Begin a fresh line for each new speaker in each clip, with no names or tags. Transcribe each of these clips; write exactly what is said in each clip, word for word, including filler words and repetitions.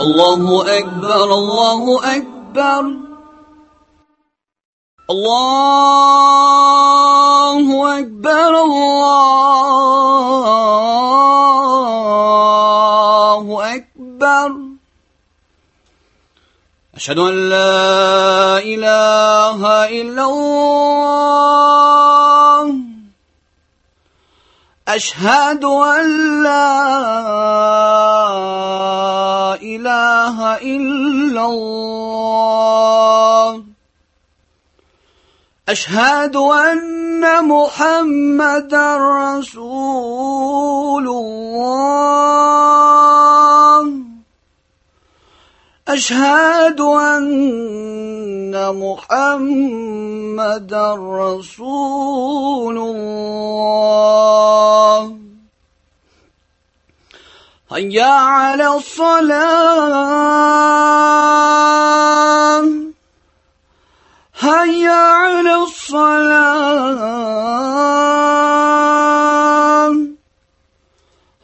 الله أكبر الله أكبر الله أكبر الله أكبر أشهد أن لا إله إلا الله أشهد أن لا إله إلا الله أشهد أن محمدا رسول الله أشهد أن محمدا رسول الله هيا على الصلاة هيا على الصلاة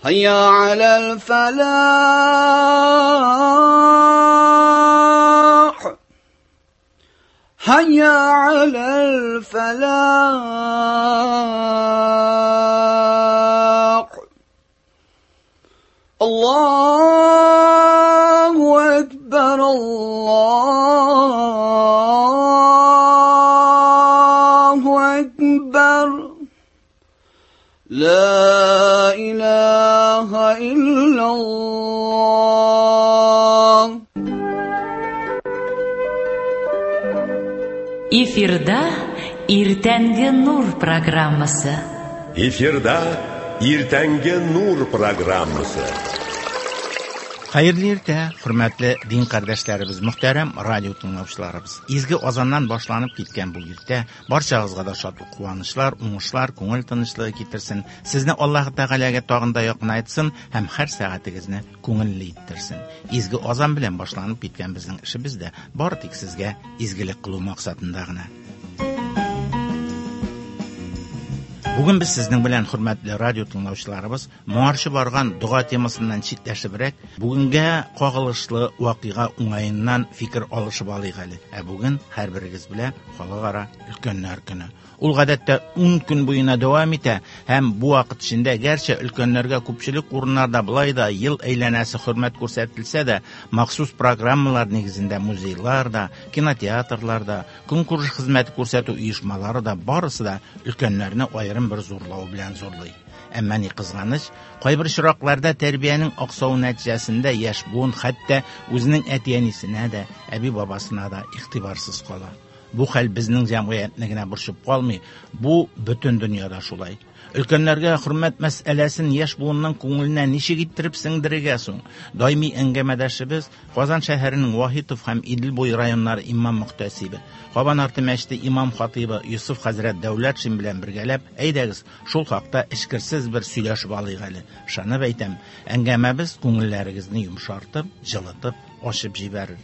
هيا على الفلاح هيا على الفلاح الله أكبر الله أكبر لا إله إلا الله.
Эфирда Иртәнге Нур программасы.
Эфирда Иртәнге Нур программасы.
Хәерле иртә, хөрмәтле дин кардәшләребез, мөхтәрәм радио тыңлаучыларыбыз. Изге азаннан башланып киткән бу иртә барчагызга да шатлык, куанычлар, уңышлар, күңел тынычлыгы китерсен. Сезне Аллаһ Тәгаләгә тагын да якынайтсын һәм һәр сәгатегезне күңелле иттерсен. Изге азан белән башланып киткән безнең эшебез дә бары тик сезгә изгелек кылу максатында гына. Бүген без сезнең белән, хөрмәтле радио тыңлаучыларыбыз, моңарчы барган дога темасыннан читләшебрәк, бүгенгә кагылышлы вакыйга уңаеннан фикер алышып алыйк әле. Ә бүген һәрберегез белә халыкара өлкәннәр көне. Ул гадәттә ун көн буена дәвам итә һәм бу вакыт эчендә гәрчә өлкәннәргә күпчелек урыннарда былай да ел әйләнәсе хөрмәт күрсәтелсә дә, махсус программалар нигезендә музейлар да, кинотеатрлар да, көнкүреш хезмәте күрсәтү оешмалары да барысы да өлкәннәрне аерым бер зурлау белән зурлый. Әмма ни кызганыч, кайбер очракларда тәрбиянең аксавы нәтиҗәсендә яшь буын хәтта үзенең әти-әнисенә дә, әби-бабасына да игътибарсыз кала. Бу хәл безнең җәмгыятьне генә борчып калмый, бу бөтен дөньяда шулай. Өлкәннәргә хөрмәт мәсьәләсен яшь буынның күңеленә ничек иттереп сеңдерергә соң? Даими әңгәмәдәшебез Казан шәһәренең Вахитов һәм Идел буе районнары имам мөхтәсибе, Кабан арты мәчете имам хатибы Йосыф хәзрәт Дәүләтшин белән бергәләп, әйдәгез, шул хакта эчкерсез бер сөйләшеп алыйк әле. Ышанып әйтәм, әңгәмәбез күңелләрегезне йомшартып, җылытып, ачып җибәрер.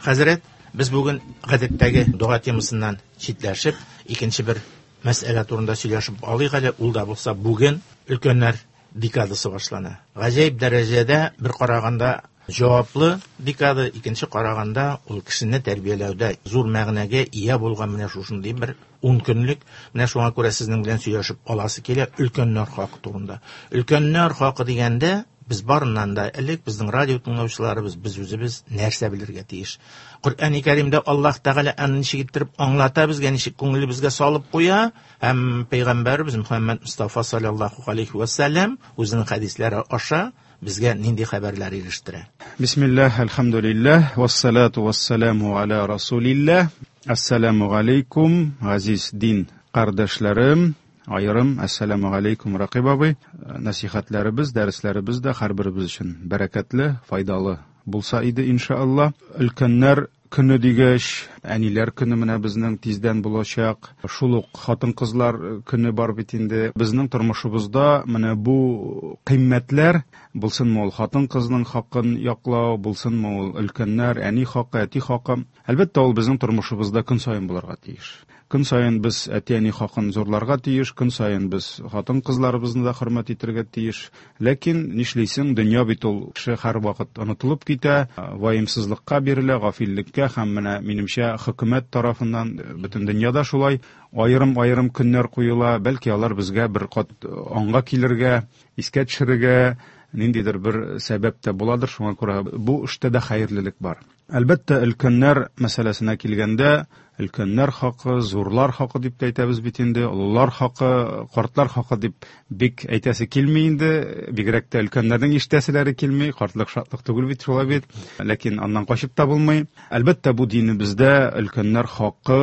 Хәзрәт, без бүген гадәттәге дога темасыннан читләшеп, икенче бер мәсьәлә турында сөйләшеп алыйк әле. Ул да булса бүген өлкәннәр декадасы башлана. Гаҗәеп дәрәҗәдә бер караганда җаваплы декада, икенче караганда ул кешене тәрбияләүдә зур мәгънәгә ия булган менә шушындый бер ун көнлек. Менә шуңа күрә сезнең белән сөйләшеп аласы килә өлкәннәр хакы турында. Өлкәннәр хакы дигәндә без барыннан да элек безнең радио тыңлаучыларыбыз, без үзебез нәрсә белергә тиеш? Коръәни Кәримдә Аллаһ Тәгалә аны ничек иттереп аңлата безгә, ничек күңелебезгә салып куя, һәм пәйгамбәребез Мөхәммәд Мустафа саллаллаһу алейхи ва сәлләм үзенең хәдисләре аша безгә нинди хәбәрләр ирештерә.
Бисмиллаһ, әлхәмдүлилләһ, вассалату вассаламу аля расулилләһ. Ассаламу алейкум, газиз дин кардәшләрем. Айырым, ассаламу алейкум, Ракиб абый. Насихатларыбыз, дәресләребез дә һәрберебез өчен бәрәкәтле, файдалы булса иде иншалла. Өлкәннәр көне дигәч, әниләр көне менә безнең тиздән булачак. Шул ук хатын-кызлар көне бар бит инде. Безнең тормышыбызда менә бу кыйммәтләр, булсынмы ул хатын-кызның хакын яклау, булсынмы ул өлкәннәр, әни хакы, әти хакы, әлбәттә, ул безнең тормышыбызда көн саен булырга тиеш. Көн саен без әти-әни хакын зурларга тиеш, көн саен без хатын-кызларыбызны да хөрмәт итәргә тиеш. Ләкин нишлисең, дөнья бит ул, кеше һәрвакыт онытылып китә, ваемсызлыкка бирелә, гафиллеккә һәм менә минемчә хөкүмәт тарафыннан бөтен дөньяда шулай аерым-аерым көннәр куела, бәлки алар безгә бер кат аңга килергә, искә төшерергә ниндидер бер сәбәп тә буладыр, шуңа күрә бу эштә дә хәерлелек бар. Әлбәттә, өлкәннәр мәсьәләсенә килгәндә, өлкәннәр хакы, зурлар хакы дип тә әйтәбез бит инде, олылар хакы, картлар хакы дип бик әйтәсе килми инде, бигрәк тә өлкәннәрнең ишетәселәре килми, картлык шатлык түгел бит шулай бит, ләкин аннан качып та булмый. Әлбәттә, бу динебездә өлкәннәр хакы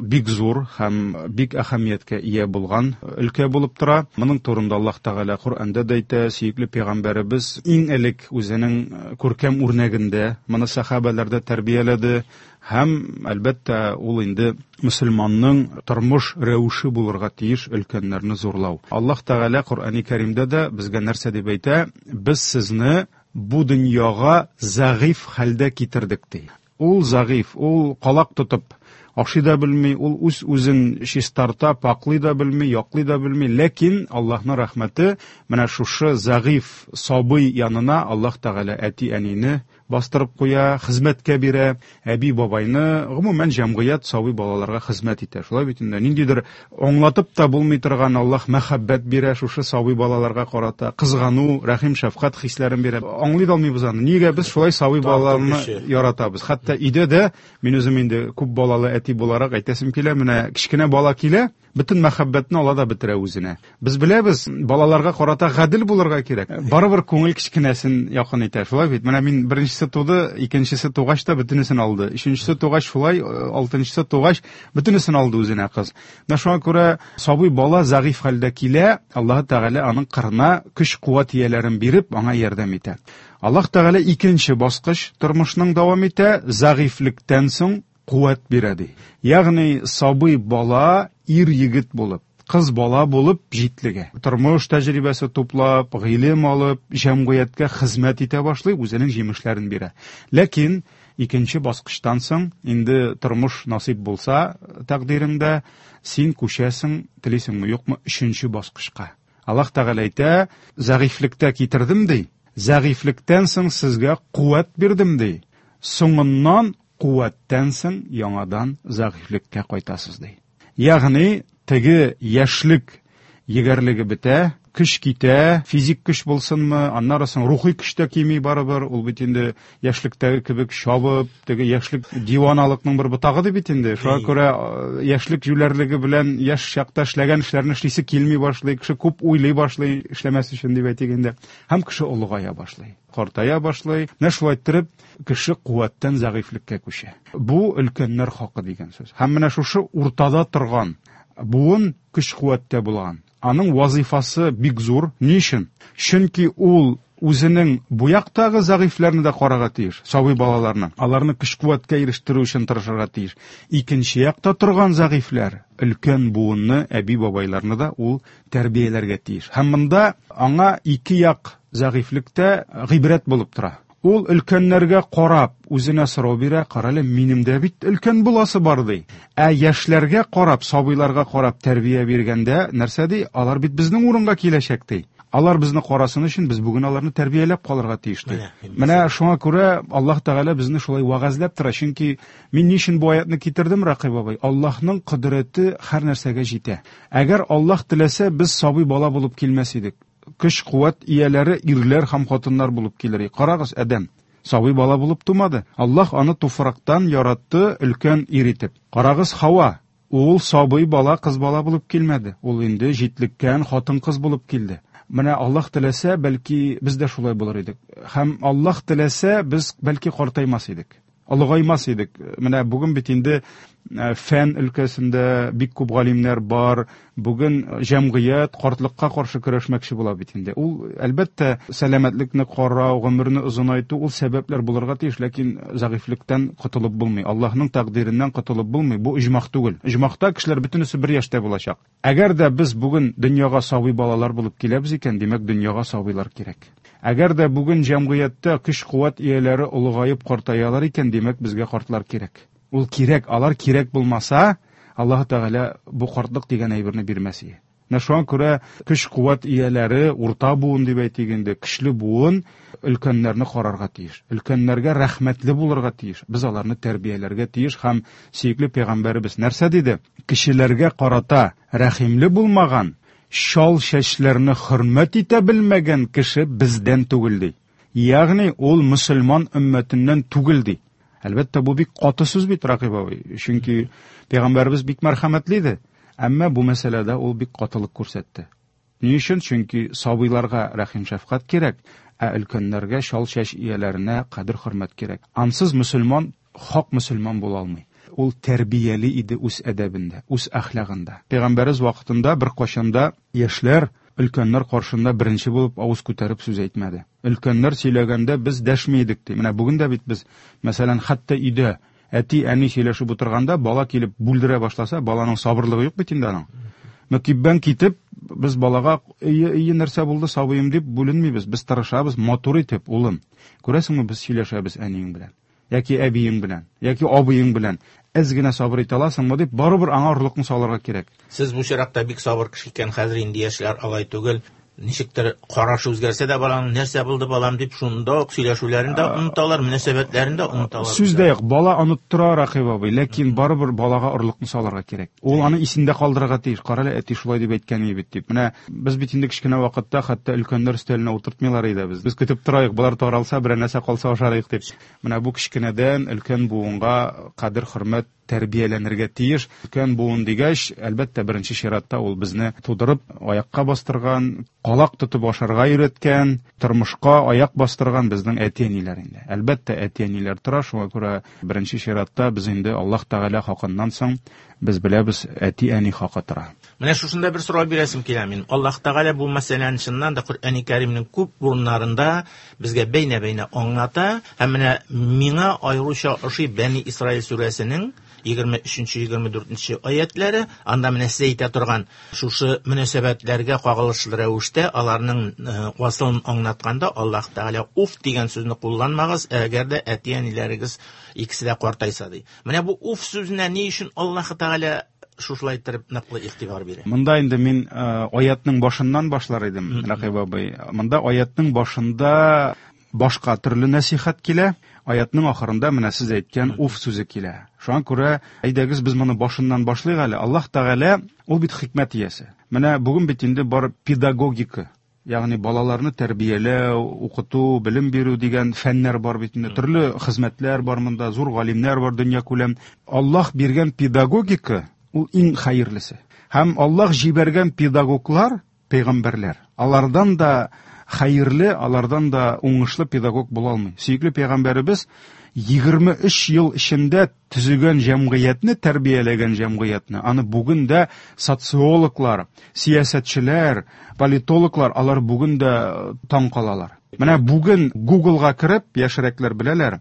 бик зур һәм бик әһәмияткә ия булган өлкә булып тора. Моның турында Аллаһ Тәгалә Коръәндә дә әйтә, сөекле пәйгамбәребез иң элек үзенең күркәм үрнәгендә моны сәхабәләрдә тәрбияләде. Һәм, әлбәттә, ул инде мөселманның тормыш рәвеше булырга тиеш өлкәннәрне зурлау. Аллаһ Тәгалә Коръәни Кәримдә дә безгә нәрсә дип әйтә? Без сезне бу дөньяга зәгыйф хәлдә китердек, ди. Ул зәгыйф, ул калак тотып ашый да белми, ул үз-үзен чистарта, паклый да белми, яклый да белми, ләкин Аллаһның рәхмәте менә шушы зәгыйф сабый янына Аллаһ Тәгалә әти-әнине бастырып куя, хезмәткә бирә, әби-бабайны, гомумән җәмгыять сабый балаларга хезмәт итә. Шулай бит инде, ниндидер аңлатып та булмый торган Аллаһ мәхәббәт бирә шушы сабый балаларга карата, кызгану, рәхим, шәфкать хисләрен бирә. Аңлый да алмыйбыз аны. Нигә без шулай сабый балаларны яратабыз? Хәтта өйдә дә мин үзем инде күп балалы әти буларак әйтәсем килә, менә кечкенә бала килә, бөтен мәхәббәтне ала да бетерә үзенә. Без беләбез, балаларга карата гадел булырга кирәк. Барыбер күңел кечкенәсен якын итә. Шулай бит. Менә мин беренчесе туды, икенчесе тугач та бөтенесен алды. Өченчесе тугач шулай, алтынчысы тугач бөтенесен алды үзенә кыз. Менә шуңа күрә сабый бала зәгыйф хәлдә килә, Аллаһ Тәгалә аның кырына көч-куәт ияләрен биреп, аңа ярдәм итә. Аллаһ Тәгалә икенче баскыч тормышның дәвам итә, зәгыйфлектән соң куәт бирә ди. Ягъни сабый бала ир егет булып, кыз бала булып җитлегә. Тормыш тәҗрибәсе туплап, гыйлем алып, җәмгыятькә хезмәт итә башлый, үзенең җимешләрен бирә. Ләкин икенче баскычтан соң инде тормыш насыйп булса тәкъдиреңдә, син күчәсең, телисеңме, юкмы, өченче баскычка. Аллаһ Тәгалә әйтә, зәгыйфлектә китердем ди. Зәгыйфлектән соң сезгә куәт бирдем ди. Соңыннан куәттән соң яңадан зәгыйфлеккә кайтасыз ди. Ягъни теге яшьлек егәрлеге бетә, көч китә, физик көч булсынмы, аннары соң рухи көч тә кими барыбер, ул бит инде яшьлектәге кебек чабып, теге яшьлек диваналыкның бер ботагы ди бит инде. Шуңа күрә яшьлек җүләрлеге белән яшь чакта эшләгән эшләрне эшлисе килми башлый, кеше күп уйлый башлый, эшләмәс өчен дип әйтик инде. Һәм кеше олыгая башлый, картая башлый. Менә шулай иттереп кеше куәттән зәгыйфлеккә күчә. Бу өлкәннәр хакы дигән сүз. Һәм менә шушы уртада торган буын көч-куәттә булган. Аның вазифасы бик зур. Ни өчен? Чөнки ул үзенең бу яктагы зәгыйфләрне дә карарга тиеш, сабый балаларны. Аларны көч-куәткә ирештерү өчен тырышырга тиеш. Икенче якта торган зәгыйфләр, өлкән буынны, әби-бабайларны да ул тәрбияләргә тиеш. Һәм монда аңа ике як зәгыйфлектә гыйбрәт булып тора. Ул өлкәннәргә карап үзенә сорау бирә, карале, минем дә бит өлкән буласы бар ди. Ә яшьләргә карап, сабыйларга карап тәрбия биргәндә нәрсә ди? Алар бит безнең урынга киләчәк ди. Алар безне карасын өчен без бүген аларны тәрбияләп калырга тиеш ди. Менә шуңа күрә Аллаһ Тәгалә безне шулай вәгазьләп тора. Чөнки мин ни өчен бу аятны китердем, Рәкыйп абый? Аллаһның кодрәте һәр нәрсәгә җитә. Әгәр Аллаһ теләсә, без сабый бала булып килмәс идек. Көч-куәт ияләре ирләр һәм хатыннар булып килер. Карагыз, Адәм сабый бала булып тумады. Аллаһ аны туфрактан яратты, өлкән ир итеп. Карагыз, Хава, ул сабый бала, кыз бала булып килмәде. Ул инде җитлеккән хатын-кыз булып килде. Менә Аллаһ теләсә, бәлки без дә шулай булыр идек. Һәм Аллаһ теләсә, без бәлки картаймас идек. Олыгаймас идек. Менә бүген бит инде фән өлкәсендә бик күп галимнәр бар. Бүген җәмгыять картлыкка каршы көрәшмәкче була бит инде. Ул әлбәттә сәламәтлекне карау, гомерне озынайту ул сәбәпләр булырга тиеш, ләкин зәгыйфьлектән котылып булмый. Аллаһның тәкъдиреннән котылып булмый. Бу иҗмах түгел. Иҗмахта кешеләр бөтенесе бер яшьтә булачак. Әгәр дә без бүген дөньяга сабый балалар булып киләбез икән, димәк дөньяга сабыйлар кирәк. Әгәр дә бүген җәмгыятьтә көч-куәт ияләре олыгаеп картаялар икән, димәк безгә картлар кирәк. Ул кирәк, алар кирәк булмаса, Аллаһ Тәгалә бу картлык дигән әйберне бирмәс иде. Менә шуңа күрә көч-куәт ияләре, урта буын дип әйтик инде, көчле буын өлкәннәрне карарга тиеш. Өлкәннәргә рәхмәтле булырга тиеш. Без аларны тәрбияләргә тиеш һәм сөекле пәйгамбәребез нәрсә диде? Кешеләргә карата рәхимле булмаган, шал чәчләрне хөрмәт итә белмәгән кеше бездән түгел ди. Ягъни ул мөселман өммәтеннән түгел ди. Әлбәттә, бу бик каты сүз бит, Ракыйп абый. Чөнки пәйгамбәребез бик мәрхәмәтле иде. Әмма бу мәсьәләдә ул бик катылык күрсәтте. Ни өчен? Чөнки сабыйларга рәхим шәфкать кирәк, ә өлкәннәргә, шал чәч ияләренә кадер хөрмәт кирәк. Ансыз мөселман хак мөселман була алмый. Ул тәрбияли иде үз әдәбендә, үз әхлагында. Пәйгамбәребез вакытында бер кашанда яшьләр өлкәннәр каршында беренче булып авыз күтәреп сүз әйтмәде. Өлкәннәр сөйләгәндә без дәшми идек ди. Менә бүген дә бит без, мәсәлән, хәтта өйдә әти, әни сөйләшеп утырганда бала килеп бүлдерә башласа, баланың сабырлыгы юк бит инде аның. Мөкиббән китеп, без балага "Ие, ие, нәрсә булды, сабыем" дип бүленмибез. Без тырышабыз матур итеп, улым. Күрәсеңме, без сөйләшәбез әниең белән, яки әбиең белән, яки абыең белән. Әз генә сабыр итә аласыңмы дип, барыбер аңа орлыкны салырга кирәк.
Сез бу чиракта бик сабыр кеше икән, хәзер инде яшьләр алай түгел. Ничектер карашы үзгәрсә дә баланың нәрсә булды балам дип шунда ук сөйләшүләрен дә оныталар, мөнәсәбәтләрен дә оныталар.
Сүз дә юк, бала оныттыра, Ракыйп абый, ләкин барыбер балага орлыкны салырга кирәк. Ул аны исендә калдырырга тиеш. Карале, әти шулай дип әйткән иде бит дип. Менә без бит инде кечкенә вакытта хәтта өлкәннәр өстәленә утыртмыйлар иде без. Без көтеп торайык, болар таралса, берәр нәрсә калса ашарыйк дип. Менә бу кечкенәдән өлкән буынга кадер хөрмәт тәрбияләнергә тиеш. Өлкән буын дигәч, әлбәттә, беренче чиратта ул безне тудырып, аякка бастырган, калак тотып ашарга өйрәткән, тормышка аяк бастырган безнең әти-әниләр инде. Әлбәттә, әти-әниләр тора, шуңа күрә беренче чиратта без инде Аллаһ Тәгалә хакыннан соң без беләбез, әти-әни хакы тора.
Менә шушында бер сорау бирәсем килә минем. Аллаһ Тәгалә бу мәсьәләне чыннан да Коръәни Кәримнең күп урыннарында безгә бәйнә-бәйнә аңлата. Һәм менә миңа аеруча ошый Бәни Исраил сүрәсенең егерме өченче, егерме дүртенче аятлары, анда менә сез әйтә торган шушы мөнәсәбәтләргә кагылышлы рәвештә аларның асылын аңлатканда Аллаһ Тәгалә уф дигән сүзне кулланмагыз, әгәр дә әти-әниләрегез икесе дә картайса ди. Менә бу уф сүзенә ни өчен Аллаһ Тәгалә шушылай итеп ныклы игътибар бирә?
Монда инде мин аятның башыннан башлар идем, Ракыйп абый. Монда аятның башында башка төрле нәсихәт килә, аятның ахырында менә сез әйткән уф сүзе килә. Шуңа күрә әйдәгез без моны башыннан башлыйк әле. Аллаһ Тәгалә ул бит хикмәт иясе. Менә бүген бит инде бар педагогика, ягъни балаларны тәрбияләү, укыту, белем бирү дигән фәннәр бар бит инде. Төрле хезмәтләр бар монда, зур галимнәр бар дөнья күләм. Аллаһ биргән педагогика ул иң хәерлесе. Һәм Аллаһ җибәргән педагоглар, пәйгамбәрләр, алардан да хәерле, алардан да уңышлы педагог була алмый. Сөекле пәйгамбәребез егерме өч ел эчендә төзегән җәмгыятьне, тәрбияләгән җәмгыятьне, аны бүген дә социологлар, сәясәтчеләр, политологлар, алар бүген дә таң калалар. Менә бүген Googleга кереп, яшьрәкләр беләләр,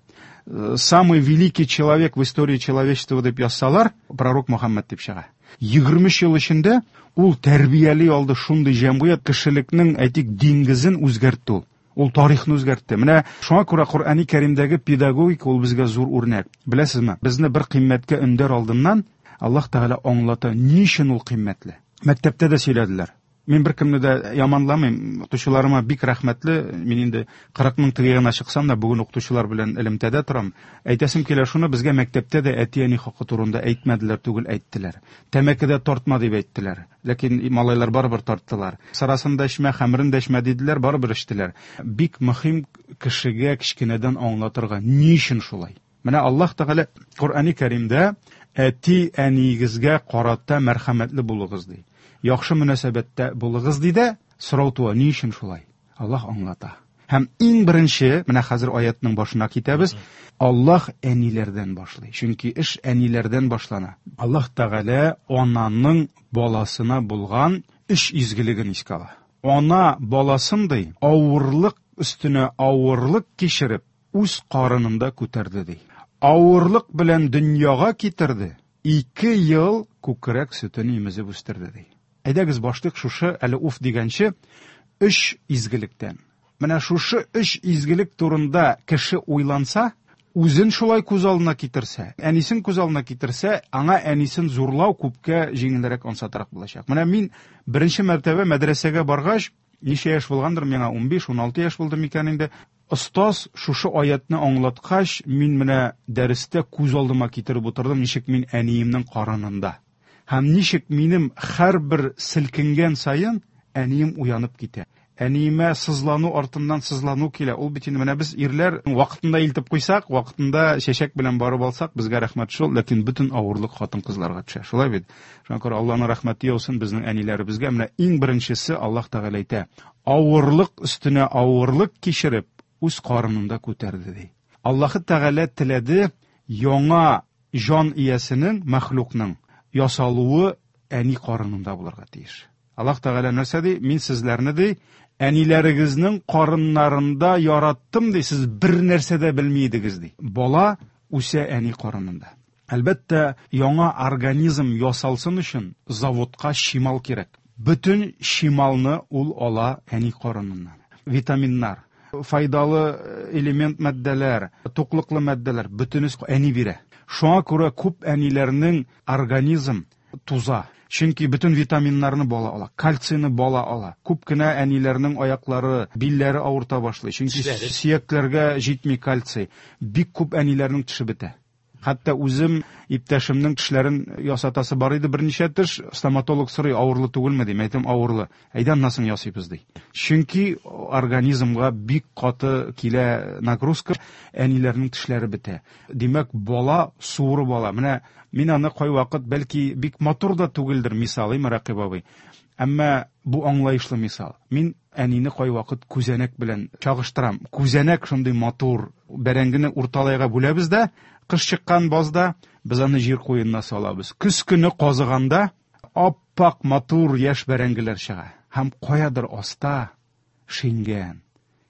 самый великий человек в истории человечества дип язсалар, пророк Мөхәммәд дип чыга. Егерме өч ел эчендә ул тәрбияли алды шундый җәмгыять, кешелекнең, әйтик, диңгезен үзгәртте ул. Ул тарихны үзгәртте. Менә шуңа күрә Коръәни Кәримдәге педагогика ул безгә зур үрнәк. Беләсезме, безне бер кыйммәткә өндәр алдыннан Аллаһ Тәгалә аңлата, ни өчен ул кыйммәтле. Мәктәптә дә сөйләделәр. Мин беркемне дә яманламыйм, укытучыларыма бик рәхмәтле. Мин инде кырык мең теге ягына чыксам да, бүген укытучылар белән элемтәдә торам. Әйтәсем килә шуны, безгә мәктәптә дә әти-әни хакы турында әйтмәделәр түгел, әйттеләр. Тәмәке дә тартма дип әйттеләр. Ләкин малайлар барыбер тарттылар. Сарасын да эчмә, хәмерен дә эчмә диделәр, барыбер эчтеләр. Бик мөһим кешегә кечкенәдән аңлатырга, ни өчен шулай? Менә Аллаһ Тәгалә Коръәни Кәримдә әти-әниегезгә карата мәрхәмәтле булыгыз ди. Яхшы мөнәсәбәттә булыгыз ди дә, сорау туа, ни өчен шулай? Аллаһ аңлата. Һәм иң беренче, менә хәзер аятның башына китәбез, Аллаһ әниләрдән башлый. Чөнки эш әниләрдән башлана. Аллаһ Тәгалә ананың баласына булган өч изгелеген искә ала. Ана баласын ди, авырлык өстенә авырлык кичереп, үз карынында күтәрде ди. Авырлык белән дөньяга китерде, ике ел күкрәк сөтен имезеп үстерде ди. Әйдәгез башлык шушы әле уф дигәнче өч изгелектән. Менә шушы өч изгелек турында кеше уйланса, үзен шулай күз алдына китерсә, әнисен күз алдына китерсә, аңа әнисен зурлау күпкә җиңелрәк, ансатрак булачак. Менә мин беренче мәртәбә мәдрәсәгә баргач, ничә яшь булгандыр, миңа унбиш, уналты яшь булды микән инде. Остаз шушы аятны аңлаткач, мин менә дәрестә күз алдыма китереп утырдым, ничек мин әниемнең карынында. Һәм ничек минем һәрбер селкенгән саен әнием уянып китә. Әниемә сызлану артыннан сызлану килә. Ул бит инде менә без ирләр вакытында илтеп куйсак, вакытында чәчәк белән барып алсак, безгә рәхмәт шул, ләкин бөтен авырлык хатын-кызларга төшә. Шулай бит. Шуңа күрә Аллаһның рәхмәте яусын безнең әниләребезгә. Менә иң беренчесе Аллаһ Тәгалә әйтә: авырлык өстенә авырлык кичереп, үз карынында күтәрде ди. Аллаһ Тәгалә теләде яңа җан иясенең, мәхлукның ясалуы әни карынында булырга тиеш. Аллаһ Тәгалә нәрсә ди? Мин сезләрне ди, әниләрегезнең карыннарында яраттым ди, сез бер нәрсә дә белми идегез ди. Бала үсә әни карынында. Әлбәттә, яңа организм ясалсын өчен заводка чимал кирәк. Бөтен чималны ул ала әни карыныннан. Витаминнар, файдалы элемент матдәләр, туклыклы матдәләр бөтенесе әни бирә. Шуңа күрә күп әниләрнең организм туза. Чөнки бөтен витаминнарны бала ала, кальцийны бала ала. Күп кенә әниләрнең аяклары, билләре авырта башлый. Чөнки
Тешләре.
сөякләргә җитми кальций. Бик күп әниләрнең теше бетә. Хәтта үзем иптәшемнең тешләрен ясатасы бар иде берничә теш, стоматолог сорый, авырлы түгелме ди, әйтәм, авырлы. Әйдә, аннан соң ясыйбыз ди. Чөнки организмга бик каты килә нагрузка, әниләрнең тешләре бетә. Димәк, бала суырып ала. Менә мин аны кайвакыт, бәлки бик матур да түгелдер мисалы, Рәкыйп абый. Әмма бу аңлаешлы мисал. Мин әнине кайвакыт күзәнәк белән чагыштырам. Күзәнәк шундый матур, бәрәңгене урталайга бүләбез дә, кыш чыккан базда без аны җир куенына салабыз. Көз көне казыганда аппак матур яшь бәрәңгеләр чыга. Һәм каядыр аста шиңгән,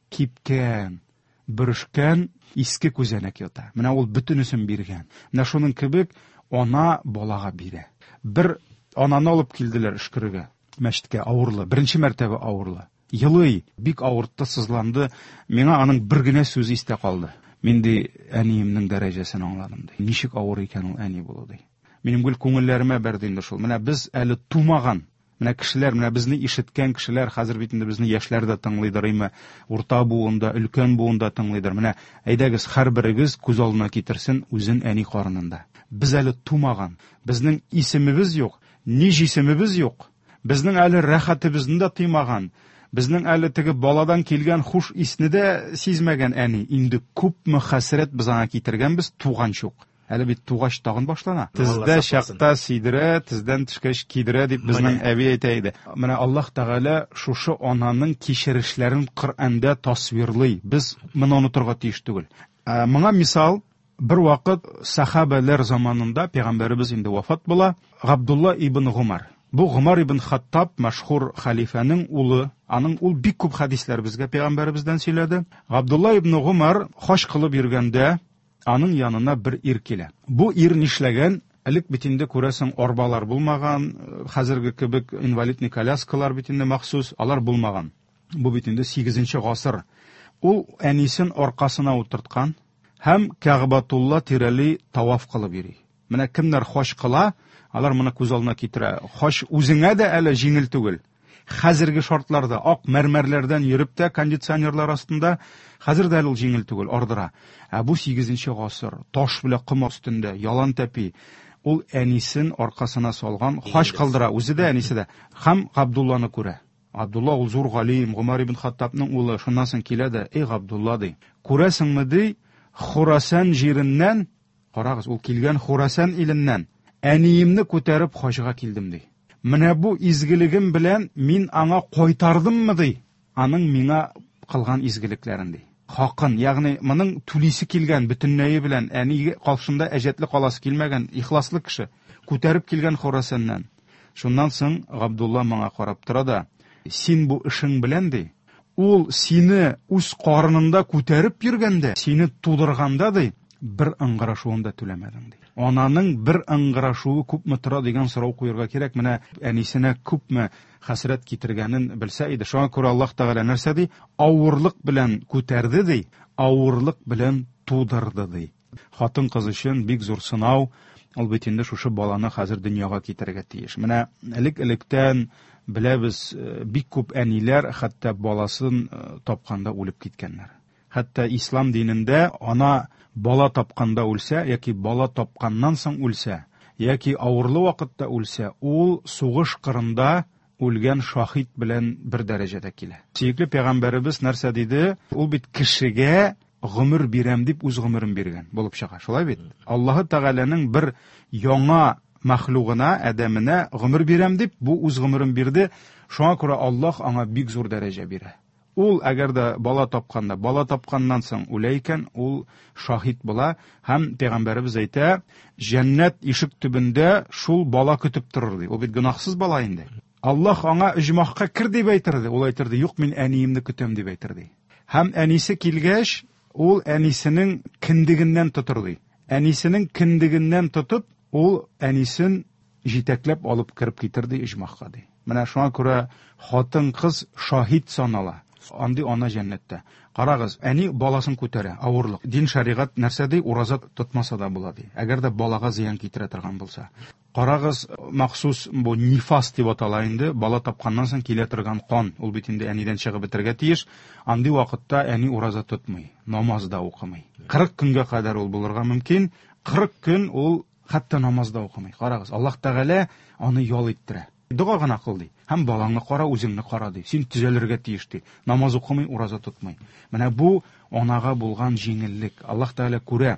кипкән, бөрешкән иске күзәнәк ята. Менә ул бөтенесен биргән. Менә шуның кебек ана балага бирә. Бер ананы алып килделәр өшкерергә, мәчеткә, авырлы, беренче мәртәбә авырлы. Елый, бик авыртты, сызланды. Миңа аның бер генә сүзе истә калды. Мин ди әниемнең дәрәҗәсен аңладым ди. Ничек авыр икән ул әни булу ди. Минем гел күңелләремә бәрде инде шул. Менә без әле тумаган, менә кешеләр, менә безне ишеткән кешеләр, хәзер бит инде безне яшьләр дә тыңлыйдыр, име, урта буында, өлкән буында тыңлыйдыр. Менә әйдәгез, һәрберегез күз алдына китерсен үзен әни карынында. Без әле тумаган, безнең исемебез юк, ни җисемебез юк. Безнең әле рәхәтебезне дә тыймаган. Безнең әле теге баладан килгән хуш исне дә сизмәгән әни. Инде күпме хәсрәт без аңа китергәнбез туганчы ук. Әле бит тугач тагын башлана.
Алла
Тездә
сакласын.
чакта сидерә, тездән төшкәч кидерә дип безнең
Менә.
әби әйтә иде. Менә Аллаһ Тәгалә шушы ананың кичерешләрен Коръәндә тасвирлый. Без моны онытырга тиеш түгел. Ә, моңа мисал, бер вакыт сахабәләр заманында пәйгамбәребез инде вафат була, Габдулла ибн Гумар. Бу Гумар ибн Хаттаб мәшһүр хәлифәнең улы. Аның ул бик күп хәдисләр безгә пәйгамбәребездән сөйләде. Габдулла ибн Гумар хаҗ кылып йөргәндә аның янына бер ир килә. Бу ир нишләгән? Элек бит инде күрәсең арбалар булмаган, хәзерге кебек инвалидный коляскалар бит инде махсус, алар булмаган. Бу бит инде сигезенче гасыр. Ул әнисен аркасына утырткан һәм Кәгъбатулла тирәли таваф кылып йөри. Менә кемнәр хаҗ кыла, алар моны күз алдына китерә. Хаҗ үзеңә дә әле җиңел түгел. Хәзерге шартларда ак мәрмәрләрдән йөреп тә кондиционерлар астында хәзер дә әле ул җиңел түгел, ардыра. Ә бу сигезенче гасыр, таш белән ком өстендә, ялан тәпи. Ул әнисен аркасына салган, хаҗ кылдыра, үзе дә, әнисе дә. Һәм Габдулланы күрә. Габдулла ул зур галим, Гумар ибн Хаттабның улы. Шуннан соң килә дә, эй Габдулла ди, күрәсеңме ди, Хурасан җиреннән, карагыз, ул килгән Хурасан иленнән, әниемне күтәреп хаҗга килдем ди. Менә бу изгелегем белән мин аңа кайтардыммы ди, аның миңа кылган изгелекләрен ди. Хакын, ягъни моның түлисе килгән бөтенләе белән әни каршында әҗәтле каласы килмәгән ихласлы кеше күтәреп килгән Хорасаннан. Шуннан соң Габдулла моңа карап тора да, син бу эшең белән ди, ул сине үз карынында күтәреп йөргәндә, сине тудырганда ди, бер ыңгырашуын да түләмәдең ди. Ананың бер ыңгырашуы күпме тора дигән сорау куярга кирәк. Менә әнисенә күпме хәсрәт китергәнен белсә иде. Шуңа күрә Аллаһ Тәгалә нәрсә ди? Авырлык белән күтәрде ди, авырлык белән тудырды ди. Хатын-кыз өчен бик зур сынау, ул бит инде шушы баланы хәзер дөньяга китерергә тиеш. Менә элек-электән беләбез, бик күп әниләр хәтта баласын тапканда үлеп киткәннәр. Хәтта ислам динендә ана бала тапканда үлсә яки бала тапканнан соң үлсә, яки авырлы вакытта үлсә, ул сугыш кырында үлгән шаһит белән бер дәрәҗәдә килә. Сөекле пәйгамбәребез нәрсә диде? Ул бит кешегә гомер бирәм дип үз гомерен биргән булып чыга. Шулай бит? Аллаһы Тәгаләнең бер яңа мәхлугына, адәменә гомер бирәм дип бу үз гомерен бирде. Шуңа күрә Аллаһ аңа бик зур дәрәҗә бирә. Ул әгәр дә бала тапканда, бала тапканнан соң үлә икән, ул шаһит була һәм пәйгамбәребез әйтә, җәннәт ишек төбендә шул бала көтеп торыр ди. Ул бит гөнаһсыз бала инде. Аллаһ аңа оҗмахка кер дип әйтерде. Ул әйтерде, юк, мин әниемне көтәм дип әйтерде. Һәм әнисе килгәч, ул әнисенең кендегеннән тотыр ди. Әнисенең кендегеннән тотып, ул әнисен җитәкләп алып кереп китер ди оҗмахка ди. Менә шуңа күрә хатын-кыз шаһит санала. Андый ана җәннәттә. Карагыз, әни баласын күтәрә, авырлык. Дин шәригать нәрсә ди? Ураза тотмаса да була ди. Әгәр дә балага зыян китерә торган булса. Карагыз, махсус бу нифас дип атала инде, бала тапканнан соң килә торган кан, ул бит инде әнидән чыгып бетергә тиеш. Андый вакытта әни ураза тотмый, намаз да укымый. Кырык көнгә кадәр ул булырга мөмкин. Кырык көн ул хәтта намаз да укымый. Карагыз, Аллаһ Тәгалә аны ял иттерә. Дога гына кыл ди. Һәм балаңны кара, үзеңне кара ди. Син төзәлергә тиеш ди. Намаз укымый, ураза тотмый. Менә бу анага булган җиңеллек. Аллаһ Тәгалә күрә.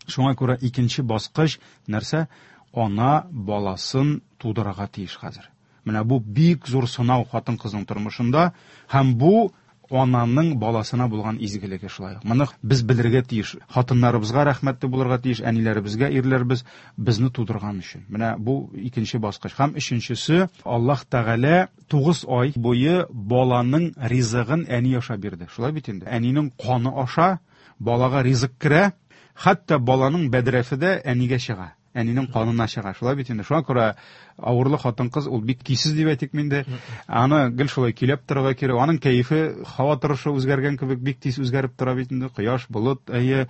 Шуңа күрә икенче баскыч нәрсә? Ана баласын тудырырга тиеш хәзер. Менә бу бик зур сынау хатын-кызның тормышында һәм бу ананың баласына булган изгелеге шулай. Моны без белергә тиеш. Хатыннарыбызга рәхмәтле булырга тиеш, әниләребезгә, ирләребез безне тудырган өчен. Менә бу икенче баскыч. Һәм өченчесе, Аллаһ Тәгалә тугыз ай буе баланың ризыгын әни аша бирде. Шулай бит инде. Әнинең каны аша балага ризык керә, хәтта баланың бәдрәфе дә әнигә чыга. Әнинең канына чыга. Шулай бит инде. Шуңа күрә авырлы хатын-кыз ул бик кисез дип әйтик инде. Аны гел шулай көйләп торырга кирәк. Аның кәефе, һава торышы үзгәргән кебек бик тиз үзгәреп тора бит инде. Кояш, болыт, әйе.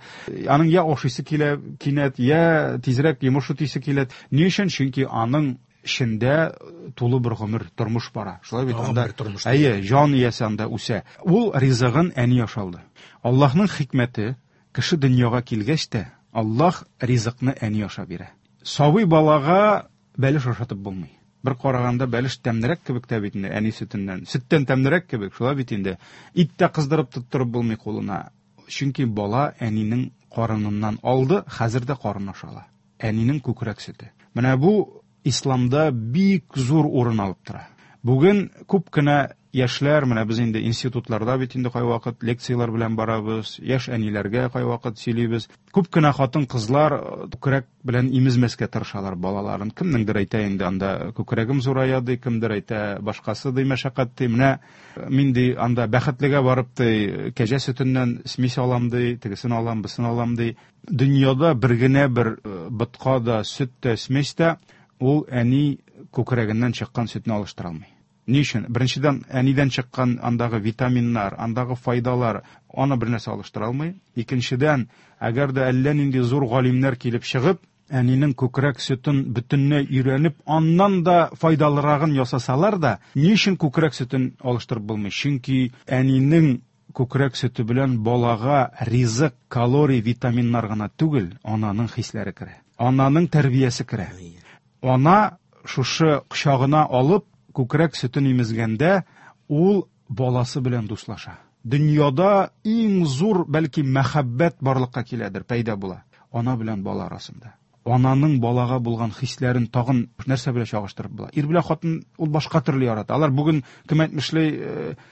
Аның я ашыйсы килә кинәт, я тизрәк йомыш үтисе килә. Ни өчен? Чөнки аның эчендә тулы бер гомер, тормыш бара. Шулай бит анда. Әйе, җан иясе анда үсә. Ул ризыгын әни ашалды. Аллаһның хикмәте, кеше дөньяга килгәч тә Аллаһ ризыкны әни аша бирә. Сабый балага бәлеш ашатып булмый. Бер караганда бәлеш тәмлерәк кебек тә бит инде әни сөтеннән. Сөттән тәмлерәк кебек, шулай бит инде. Ит тә кыздырып тоттырып булмый кулына. Чөнки бала әнинең карыныннан алды, хәзер дә карын ашала. Әнинең күкрәк сөте. Менә бу исламда бик зур урын алып тора. Бүген күп кенә яшьләр, менә без инде институтларда бит инде кайвакыт лекцияләр белән барабыз, яшь әниләргә кайвакыт сөйлибез. Күп кенә хатын-кызлар күкрәк белән имезмәскә тырышалар балаларын. Кемнеңдер әйтә инде анда күкрәгем зурая ди, кемдер әйтә башкасы ди, мәшәкать ди. Менә мин ди анда бәхетлегә барып ди, кәҗә сөтеннән смесь алам ди, тегесен алам, бысын алам ди. Дөньяда бер генә бер ботка да, сөт тә, смесь тә ул әни күкрәгеннән чыккан сөтне алыштыра алмый. Ни өчен? Беренчедән, әнидән чыккан андагы витаминнар, андагы файдалар аны бер нәрсә алыштыра алмый. Икенчедән, әгәр дә әллә нинди зур галимнәр килеп чыгып, әнинең күкрәк сөтен бөтенләй өйрәнеп, аннан да файдалырагын ясасалар да, ни өчен күкрәк сөтен алыштырып булмый? Чөнки әнинең күкрәк сөте белән балага ризык, калорий, витаминнар гына түгел, ананың хисләре керә. Ананың тәрбиясе керә. Ана шушы кочагына алып күкрәк сөтен имезгәндә ул баласы белән дуслаша. Дөньяда иң зур бәлки мәхәббәт барлыкка киләдер, пәйда була ана белән бала арасында. Ананың балага булган хисләрен тагын нәрсә белән чагыштырып була? Ир белән хатын ул башка төрле ярата. Алар бүген кем әйтмешли,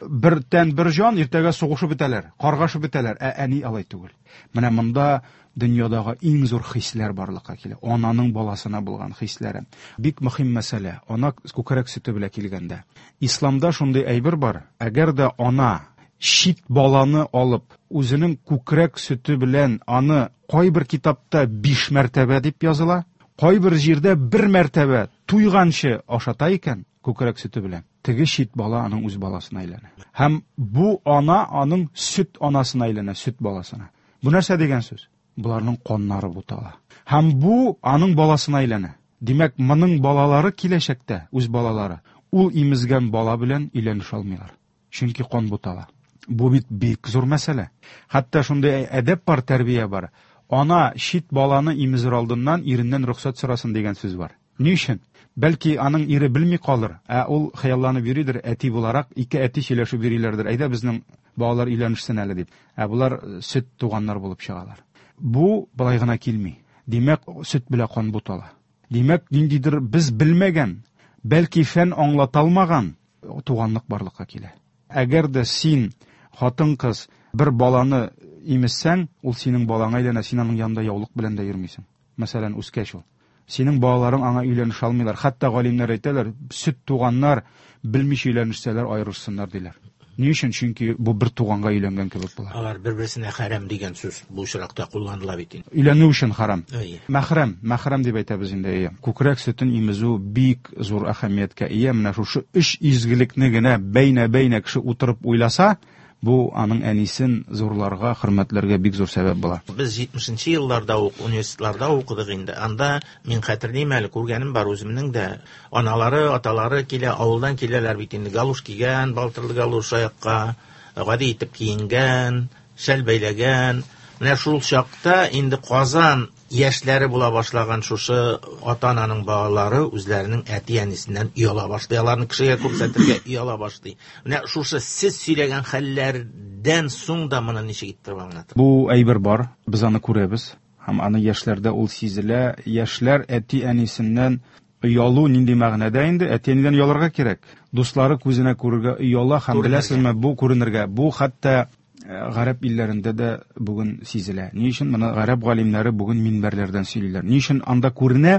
бер тән бер җан, иртәгә сугышып бетәләр, каргашып бетәләр. Ә әни алай түгел. Менә монда дөньядагы иң зур хисләр барлыкка килә. Ананың баласына булган хисләре. Бик мөһим мәсьәлә. Ана күкрәк сөте белән килгәндә. Исламда шундый әйбер бар. Әгәр дә ана чит баланы алып, үзенең күкрәк сөте белән аны кайбер китапта биш мәртәбә дип языла, кайбер җирдә бер мәртәбә туйганчы ашата икән күкрәк сөте белән, теге чит бала аның үз баласына әйләнә. Һәм бу ана аның сөт анасына әйләнә, сөт баласына. Бу нәрсә дигән сүз? Буларның каннары бутала. Һәм бу аның баласына әйләнә. Димәк, моның балалары киләчәктә, үз балалары, ул имезгән бала белән өйләнешә алмыйлар. Чөнки кан бутала. Бу бит бик зур мәсьәлә. Хәтта шундый әдәп бар, тәрбия бар. Ана чит баланы имезер алдыннан иреннән рөхсәт сорасын дигән сүз бар. Ни өчен? Бәлки аның ире белми калыр, ә ул хыялланып йөридер, әти буларак, ике әти сөйләшеп йөриләрдер. Әйдә безнең балалар өйләнешсен әле дип. Ә булар сөт туганнар булып чыгалар. Бу болай гына килми. Димәк, сөт белән кан бутала. Димәк, ниндидер без белмәгән, бәлки фән аңлата алмаган туганлык барлыкка килә. Әгәр дә син хатын-кыз бер баланы имезсәң, ул синең балаңа әйләнә, син аның янында яулык белән дә йөрмисең. Мәсәлән, үскәч ул. Синең балаларың аңа өйләнешә алмыйлар. Хәтта галимнәр әйтәләр, сөт туганнар белмичә өйләнешсәләр аерышсыннар диләр. Ни өчен? Чөнки бу бер туганга өйләнгән кебек була.
Алар бер-берсенә хәрам дигән сүз бу очракта кулланыла бит инде.
Өйләнү өчен харам.
Әйе.
Мәхрәм, мәхрәм дип әйтәбез инде. Әйе. Күкрәк сөтен имезү бик зур әһәмияткә ия. Менә шушы өч изгелекне генә бәйнә-бәйнә кеше утырып уйласа, бу аның әнисен зурларга, хөрмәтләргә бик зур сәбәп була.
Без җитмешенче елларда ук университетларда укыдык инде. Анда мин хәтерлим әле, күргәнем бар үземнең дә. Аналары, аталары килә, авылдан киләләр бит инде. Галуш кигән, балтырлы галуш аякка, гади итеп киенгән, шәл бәйләгән. Менә шул чакта инде Казан яшьләре була башлаган шушы ата-ананың балалары үзләренең әти-әнисеннән ояла башлый, аларны кешегә күрсәтергә ояла башлый. Менә шушы сез сөйләгән хәлләрдән соң да моны ничек иттереп аңлатыр?
Бу әйбер бар, без аны күрәбез һәм аны яшьләрдә ул сизелә. Яшьләр әти-әнисеннән оялу нинди мәгънәдә инде? Әти-әнидән оялырга кирәк. Дуслары күзенә күрергә ояла һәм беләсезме, бу күренергә, бу хәтта гарәп илләрендә дә бүген сизелә. Ни өчен моны гарәп галимнәре бүген минбәрләрдән сөйлиләр? Ни өчен анда күренә?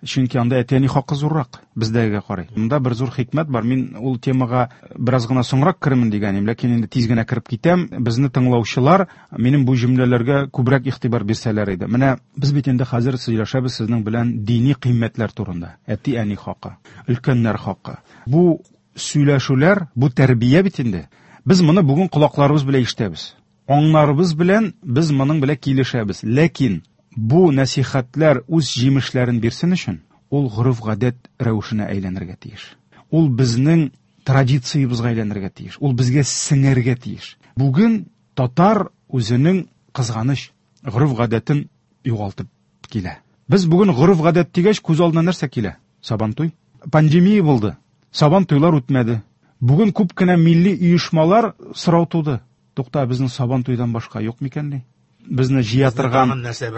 Чөнки анда әти-әни хакы зуррак бездәгегә карый. Монда бер зур хикмәт бар. Мин ул темага бераз гына соңрак керермен дигән идем, ләкин инде тиз генә кереп китәм. Безне тыңлаучылар минем бу җөмләләргә күбрәк игътибар бирсәләр иде. Менә без бит инде хәзер сөйләшәбез сезнең белән дини кыйммәтләр турында. Әти-әни хакы, өлкәннәр хакы. Бу сөйләшүләр, бу тәрбия бит инде. Без моны бүген колакларыбыз белән ишетәбез. Аңнарыбыз белән без моның белән килешәбез. Ләкин бу нәсихәтләр үз җимешләрен бирсен өчен ул гореф-гадәт рәвешенә әйләнергә тиеш. Ул безнең традициябезгә әйләнергә тиеш. Ул безгә сеңәргә тиеш. Бүген татар үзенең кызганыч гореф-гадәтен югалтып килә. Без бүген гореф-гадәт дигәч күз алдына нәрсә килә? Сабантуй. Пандемия булды. Сабантуйлар үтмәде. Бүген күп кенә милли оешмалар сорау туды. Тукта, безнең Сабантуйдан башка юк микән ни? Безне җыя торган,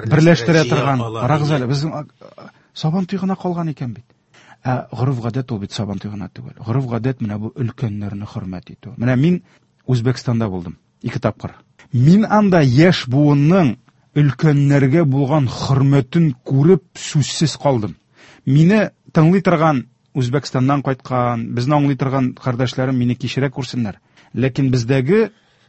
берләштерә торган, карагыз әле, безнең Сабантуй гына калган икән бит. Ә гореф-гадәт ул бит Сабантуй гына түгел. Гореф-гадәт менә бу өлкәннәрне хөрмәт итү. Менә мин Үзбәкстанда булдым ике тапкыр. Мин анда яшь буынның өлкәннәргә булган хөрмәтен күреп сүзсез калдым. Мине тыңлый торган Үзбәкстаннан кайткан, безне аңлый торган кардәшләрем мине кичерә күрсеннәр. Ләкин бездәге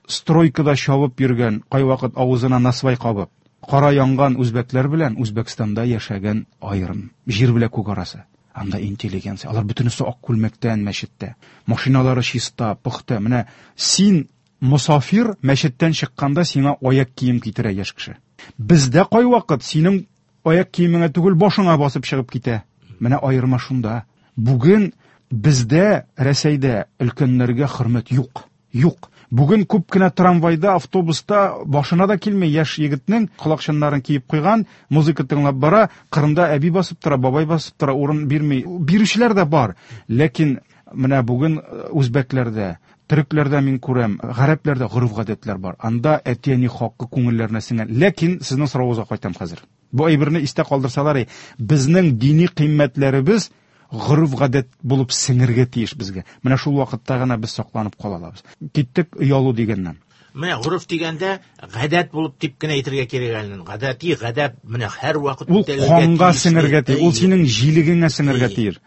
стройкада чабып йөргән, кайвакыт авызына насвай кабып, кара янган үзбәкләр белән Үзбәкстанда яшәгән аерым, җир белән күк арасы. Анда интеллигенция, алар бөтенесе ак күлмәктән мәчеттә. Машиналары чиста, пөхтә. Менә син мосафир мәчеттән чыкканда сиңа аяк кием китерә яшь кеше. Бездә кайвакыт синең аяк киемеңә түгел, башыңа басып чыгып китә. Менә аерма шунда. Бүген бездә Рәсәйдә өлкәннәргә хөрмәт юк. Юк. Бүген күп кенә трамвайда, автобуста башына да килми яшь егетнең колакчыннарын киеп куйган, музыка тыңлап бара, кырында әби басып тора, бабай басып тора, урын бирми. Бирүчеләр дә бар. Ләкин менә бүген үзбәкләрдә, төрекләрдә мин күрәм, гарәпләрдә гореф-гадәтләр бар. Анда әти-әни хакы күңелләренә сеңгән. Ләкин сезнең соравыгызга кайтам хәзер. Бу әйберне истә калдырсалар, безнең дини кыйммәтләребез гореф-гадәт булып сеңергә тиеш безгә. Менә шул вакытта гына без сакланып кала алабыз. Киттек оялу дигәннән.
Менә гореф дигәндә гадәт булып дип кенә әйтергә кирәк әле. Гадәти гадәт менә һәр вакыт
ул канга сеңергә тиеш, ул синең җилегеңә сеңергә тиеш.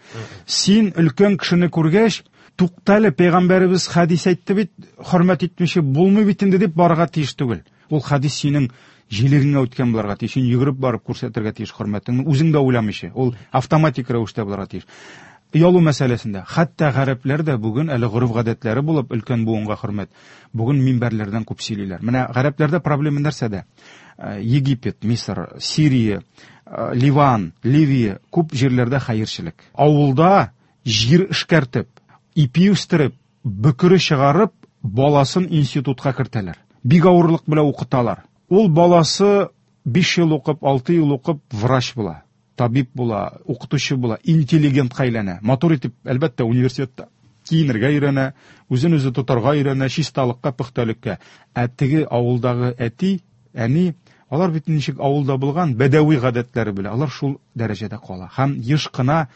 Син өлкән кешене күргәч, туктале, пәйгамбәребез хәдис әйтте бит, хөрмәт итмичә булмый бит инде дип барырга тиеш түгел. Ул хәдис синең җилегеңә үткән булырга тиеш, син йөгереп барып күрсәтергә тиеш хөрмәтеңне, үзең дә уйламыйча. Ул автоматик рәвештә булырга тиеш. Оялу мәсьәләсендә, хәтта гарәпләр дә бүген әле гореф-гадәтләре булып өлкән буынга хөрмәт, бүген минбәрләрдән күп сөйлиләр. Менә гарәпләрдә проблема нәрсәдә? Египет, Мисыр, Сирия, Ливан, Ливия күп җирләрдә хәерчелек. Авылда җир эшкәртеп, ипи үстереп, бөкре чыгарып, баласын институтка кертәләр. Бик авырлык белән укыталар. Ул баласы биш ел укып, алты ел укып врач була, табиб була, укытучы була, интеллигентка әйләнә. Матур итеп, әлбәттә, университетта киенергә өйрәнә, үзен үзе тотарга өйрәнә, чисталыкка, пөхтәлеккә. Ә теге авылдагы әти, әни, алар бит ничек авылда булган, бәдәви гадәтләре белә, алар шул дәрәҗәдә кала. Һәм еш кына,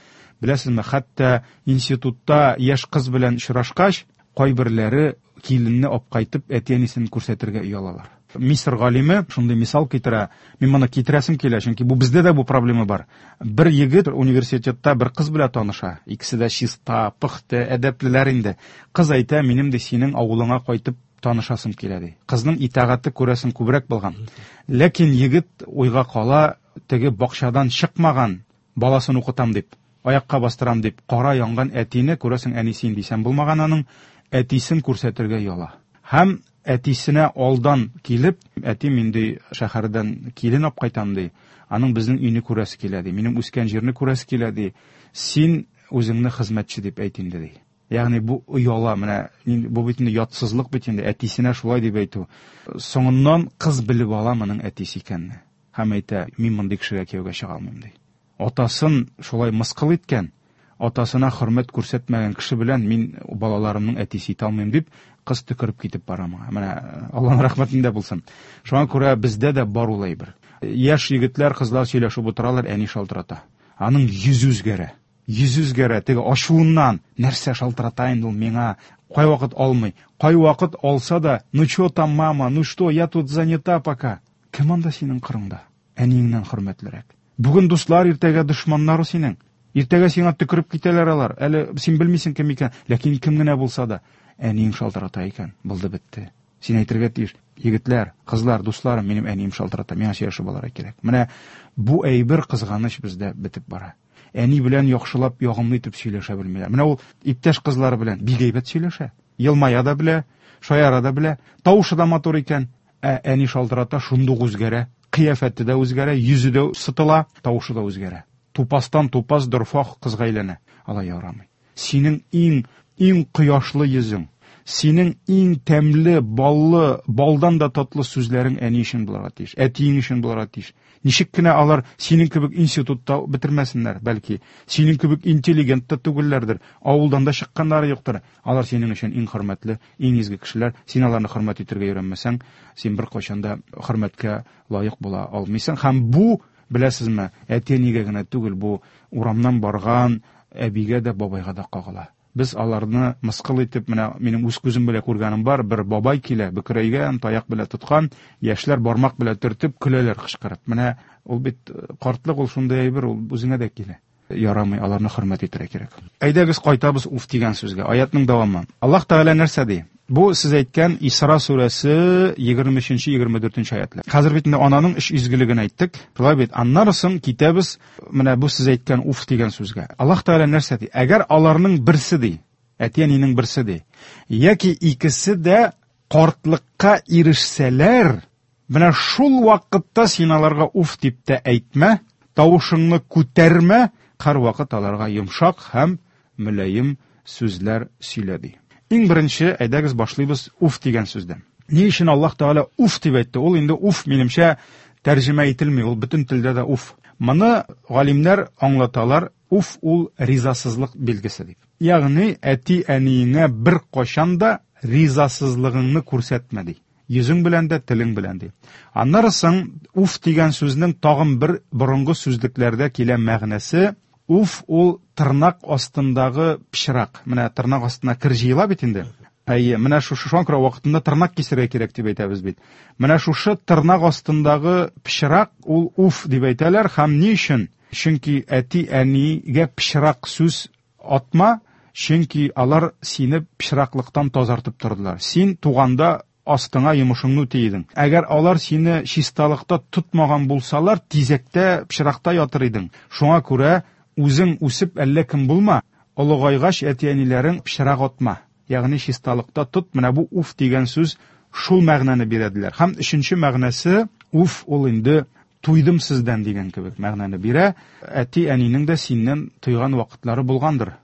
беләсезме, хәтта институтта яшь кыз белән очрашкач, кайберләре киленне алып кайтып, әти-әнисен күрсәтергә оялалар. Мисыр галиме шундый мисал китерә. Мин моны китерәсем килә, чөнки бу бездә дә бу проблема бар. Бер егет университетта бер кыз белән таныша. Икесе дә чиста, пөхтә, әдәплеләр инде. Кыз әйтә, минем дә синең авылыңа кайтып танышасым килә ди. Кызның итагате күрәсең күбрәк булган. Ләкин егет уйга кала, теге бакчадан чыкмаган, баласын укытам дип, аякка бастырам дип, кара янган әтине күрәсең әнисе инде исән булмаган аның, әтисен күрсәтергә ояла. Һәм әтисенә алдан килеп, әти мин ди шәһәрдән килен алып кайтам ди, аның безнең өйне күрәсе килә ди, минем үскән җирне күрәсе килә ди, син үзеңне хезмәтче дип әйт инде ди. Ягъни бу ояла, менә бу бит инде ятсызлык бит инде, әтисенә шулай дип әйтү. Соңыннан кыз белеп ала моның әтисе икәнне һәм әйтә, мин мондый кешегә кияүгә чыга алмыйм ди. Атасын шулай мыскыл иткән, атасына хөрмәт күрсәтмәгән кеше белән мин балаларымның әтисе итә алмыйм дип, кыз төкереп китеп бара моңа. Менә Аллаһның рәхмәтендә булсын. Шуңа күрә бездә дә бар ул әйбер. Яшь егетләр, кызлар сөйләшеп утыралар, әни шалтырата. Аның йөзе үзгәрә. Йөзе үзгәрә, теге ачуыннан нәрсә шалтырата инде ул миңа? Кайвакыт алмый. Кайвакыт алса да, ну чё там, мама, ну что, я тут занята пока. Кем анда синең кырыңда? Әниеңнән хөрмәтлерәк. Бүген дуслар, иртәгә дошманнар синең. Иртәгә сиңа төкереп китәләр алар. Әле син белмисең кем икән, ләкин кем генә булса да, әниең шалтырата икән, булды бетте. Син әйтергә тиеш, егетләр, кызлар, дусларым, минем әнием шалтырата, миңа сөйләшеп алырга кирәк. Менә бу әйбер кызганыч бездә бетеп бара. Әни белән яхшылап, ягымлы итеп сөйләшә белмиләр. Менә ул иптәш кызлары белән бик әйбәт сөйләшә. Елмая да белә, шаяра да белә, тавышы да матур икән. Ә әни шалтырата, шундук үзгәрә, кыяфәте дә үзгәрә, йөзе дә сытыла, тавышы да үзгәрә. Тупастан тупас дорфа кызга әйләнә. Алай ярамый. Синең иң, иң кояшлы йөзең, синең иң тәмле, баллы, балдан да татлы сүзләрең әни өчен булырга тиеш, әтиең өчен булырга тиеш. Ничек кенә алар синең кебек институтта бетермәсеннәр, бәлки синең кебек интеллигент та түгелләрдер, авылдан да чыкканнары юктыр. Алар синең өчен иң хөрмәтле, иң изге кешеләр. Син аларны хөрмәт итәргә өйрәнмәсәң, син беркайчан да хөрмәткә лаек була алмыйсың. Һәм бу, беләсезме, әти-әнигә генә түгел, бу урамнан барган әбигә дә, бабайга да кагыла. Без аларны мыскыл итеп, менә минем үз күзем белән күргәнем бар, бер бабай килә, бөкрәйгән, таяк белән тоткан, яшьләр бармак белән төртеп көләләр кычкырып. Менә ул бит картлык, ул шундый әйбер, ул үзеңә дә килә. Ярамый, аларны хөрмәт итәргә кирәк. Әйдәгез кайтабыз уф дигән сүзгә. Аятның дәвамы. Аллаһ Тәгалә нәрсә ди? Бу сез әйткән Исра сүрәсе егерме өченче, егерме дүртенче аятлар. Хәзер бит инде ананың өч изгелеген әйттек. Шулай бит. Аннары соң китәбез менә бу сез әйткән уф дигән сүзгә. Аллаһ Тәгалә нәрсә ди? Әгәр аларның берсе ди, әти-әнинең берсе ди, яки икесе дә картлыкка ирешсәләр, менә шул вакытта син аларга уф дип тә әйтмә, тавышыңны күтәрмә, һәрвакыт аларга йомшак һәм мөлаем сүзләр сөйлә ди. Иң беренче, әйдәгез башлыйбыз уф дигән сүздән. Ни өчен Аллаһ Тәгалә уф дип әйтте? Ул инде уф минемчә тәрҗемә ителми, ул бөтен телдә дә уф. Моны галимнәр аңлаталар, уф ул ризасызлык билгесе дип. Ягъни әти-әниеңә бер кайчан да ризасызлыгыңны күрсәтмә ди. Йөзең белән дә, телең белән ди. Аннары соң уф дигән сүзнең тагын бер борынгы сүзлекләрдә килә мәгънәсе. Уф ул тырнак астындагы пычрак. Менә тырнак астына кер җыела бит инде. Әйе, менә шушы шуңа күрә вакытында тырнак кисергә кирәк дип әйтәбез бит. Менә шушы тырнак астындагы пычрак ул уф дип әйтәләр һәм ни өчен? Чөнки әти-әнигә пычрак сүз атма, чөнки алар сине пычраклыктан тазартып тордылар. Син туганда астыңа йомышыңны үти идең. Әгәр алар сине чисталыкта тотмаган булсалар, тизәктә, пычракта ятыр идең. Шуңа күрә үзең үсеп әллә кем булма, олыгайгач әти-әниләрең пычрак атма. Ягъни чисталыкта тот. Менә бу уф дигән сүз шул мәгънәне бирәделәр. Һәм өченче мәгънәсе уф ул инде туйдым сездән дигән кебек мәгънәне бирә. Әти-әнинең дә синнән туйган вакытлары булгандыр.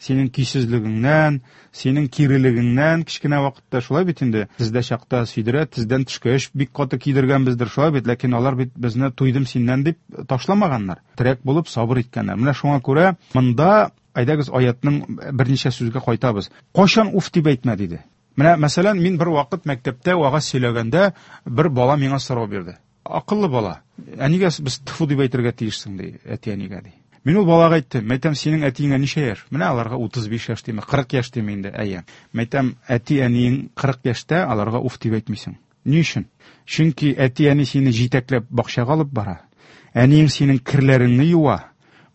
Синең көйсезлегеңнән, синең кирелегеңнән кечкенә вакытта шулай бит инде. Тездә чакта сөйдерә, тездән төшкәч бик каты кидергәнбездер, шулай бит. Ләкин алар бит безне туйдым синнән дип ташламаганнар. Терәк булып сабыр иткәннәр. Менә шуңа күрә монда әйдәгез аятның берничә сүзгә кайтабыз. Кайчан уф дип әйтмә диде. Менә мәсәлән, мин бер вакыт мәктәптә вагаз сөйләгәндә бер бала миңа сорау бирде. Акыллы бала. Ә нигә без тфу дип әйтергә тиешсең ди, әти-әнигә ди. Мин ул балага әйттем, мәйтәм, синең әтиеңә ничә яшь? Менә аларга утыз биш яшь дими, кырык яшь дими инде, әйе. Мәйтәм, әти-әниең кырык яшьтә, аларга уф дип әйтмисең. Ни өчен? Чөнки әти-әни сине җитәкләп бакчага алып бара. Әниең синең керләреңне юа,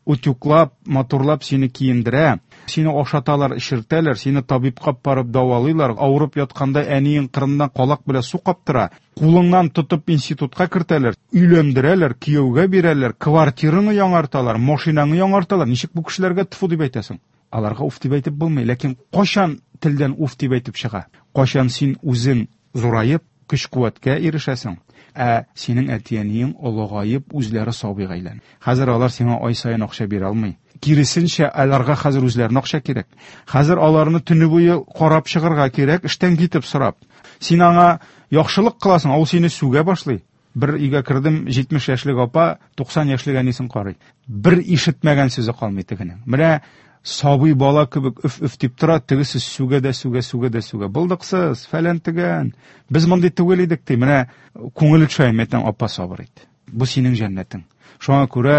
утюглап, матурлап сине киендерә, сине ашаталар, эчертәләр, сине табибка барып дәвалыйлар, авырып ятканда әниең кырыннан калак белән су каптыра, кулыңнан тотып институтка кертәләр, өйләндерәләр, кияүгә бирәләр, квартираңны яңарталар, машинаңны яңарталар. Ничек бу кешеләргә тфу дип әйтәсең? Аларга уф дип әйтеп булмый. Ләкин кайчан телдән уф дип әйтеп чыга? Кайчан син үзең зураеп, көч-куәткә ирешәсең? Ә синең әти-әниең олыгаеп, үзләре сабыйга әйләнә. Хәзер алар сиңа ай саен акча бирә алмый. Киресенчә, аларга хәзер үзләренә акча кирәк. Хәзер аларны төне буе карап чыгарга кирәк, эштән китеп сорап. Син аңа яхшылык кыласың, ул сине сүгә башлый. Бер өйгә кердем, җитмеш яшьлек апа, туксан яшьлек әнисен карый. Бер ишетмәгән сүзе калмый тегенең. Менә сабый бала кебек өф-өф дип тора, тегесе сүгә дә сүгә, сүгә дә сүгә. Булдыксыз, фәлән тегән. Без мондый түгел идек ди. Менә күңеле төшә, әйтәм, апа сабыр ит. Бу синең җәннәтең. Шуңа күрә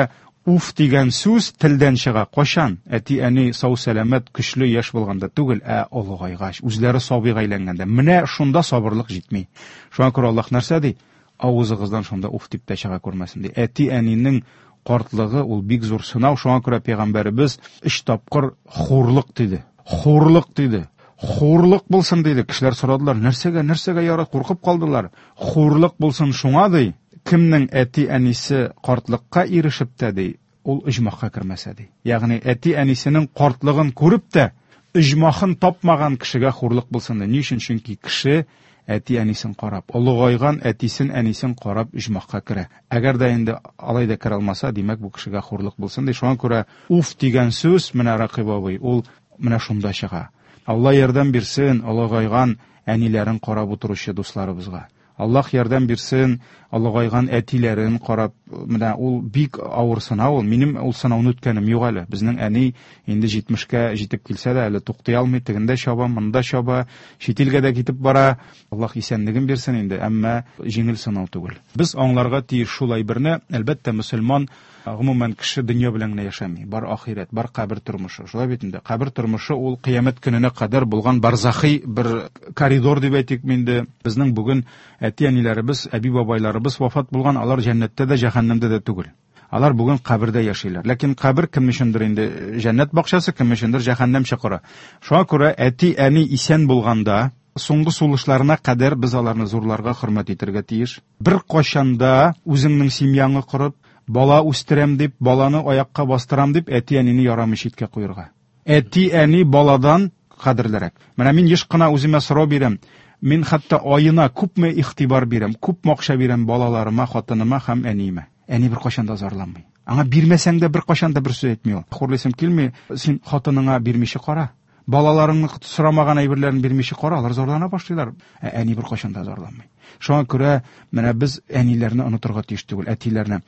уф дигән сүз телдән чыга. Кайчан? Әти-әни сау-сәламәт, көчле яшь булганда түгел, ә олыгайгач, үзләре сабыйга әйләнгәндә. Менә шунда сабырлык җитми. Шуңа күрә Аллаһ нәрсә ди? Авызыгыздан шунда уф дип тә чыга күрмәсен ди. Әти-әнинең картлыгы ул бик зур сынау. Шуңа күрә пәйгамбәребез өч тапкыр хурлык диде. Хурлык диде. Хурлык булсын диде. Кешеләр сорадылар, нәрсәгә, нәрсәгә яра, куркып калдылар. Хурлык булсын шуңа ди, кемнең әти-әнисе картлыкка ирешеп тә ди, ул оҗмахка кермәсә ди. Ягъни әти-әнисенең картлыгын күреп тә оҗмахын тапмаган кешегә хурлык булсын ди. Ни өчен? Чөнки кеше әти-әнисен карап, олыгайган әтисен, әнисен карап оҗмахка керә. Әгәр дә инде алай да керә алмаса, димәк бу кешегә хурлык булсын ди. Шуңа күрә уф дигән сүз менә Ракыйп абый, ул менә шунда чыга. Алла ярдәм бирсен олыгайган әниләрен карап утыручы дусларыбызга. Аллаһ ярдәм бирсен олыгайган әтиләрен карап, менә ул бик авыр сынау ул. Минем ул сынауны үткәнем юк әле. Безнең әни инде җитмешкә җитеп килсә дә әле туктый алмый, тегендә чаба, монда чаба, чит илгә дә китеп бара. Аллаһ исәнлеген бирсен инде, әмма җиңел сынау түгел. Без аңларга тиеш шул әйберне, әлбәттә, мөселман гомумән кеше дөнья белән генә яшәми. Бар ахирәт, бар кабер тормышы. Шулай бит инде. Кабер тормышы ул кыямәт көненә кадәр булган барзахи бер коридор дип әйтик инде. Безнең бүген әти-әниләребез, әби-бабайларыбыз вафат булган, алар җәннәттә дә, җәһәннәмдә дә түгел. Алар бүген кабердә яшиләр. Ләкин кабер кем өчендер инде җәннәт бакчасы, кем өчендер җәһәннәм чокыры. Шуңа күрә әти-әни исән булганда, соңгы сулышларына кадәр без аларны зурларга хөрмәт итәргә тиеш. Бер кайчанда үзеңнең семьяңны корып, бала үстерәм дип, баланы аякка бастырам дип, әти-әнине ярамый читкә куярга. Әти-әни баладан кадерлерәк. Менә мин еш кына үземә сорау бирәм. Мин хәтта аена күпме игътибар бирәм, күпме акча бирәм балаларыма, хатыныма һәм әниемә. Әни бер кайчан да зарланмый. Аңа бирмәсәң дә бер кайчан да бер сүз әйтми ул. Хурлыйсым килми, син хатыныңа бирмичә кара. Балаларыңны сорамаган әйберләрен бирмичә кара, алар зарлана башлыйлар. Ә әни бер кайчан да зарланмый. Шуңа күрә менә без әниләрне онытырга тиеш түгел, әтиләрне.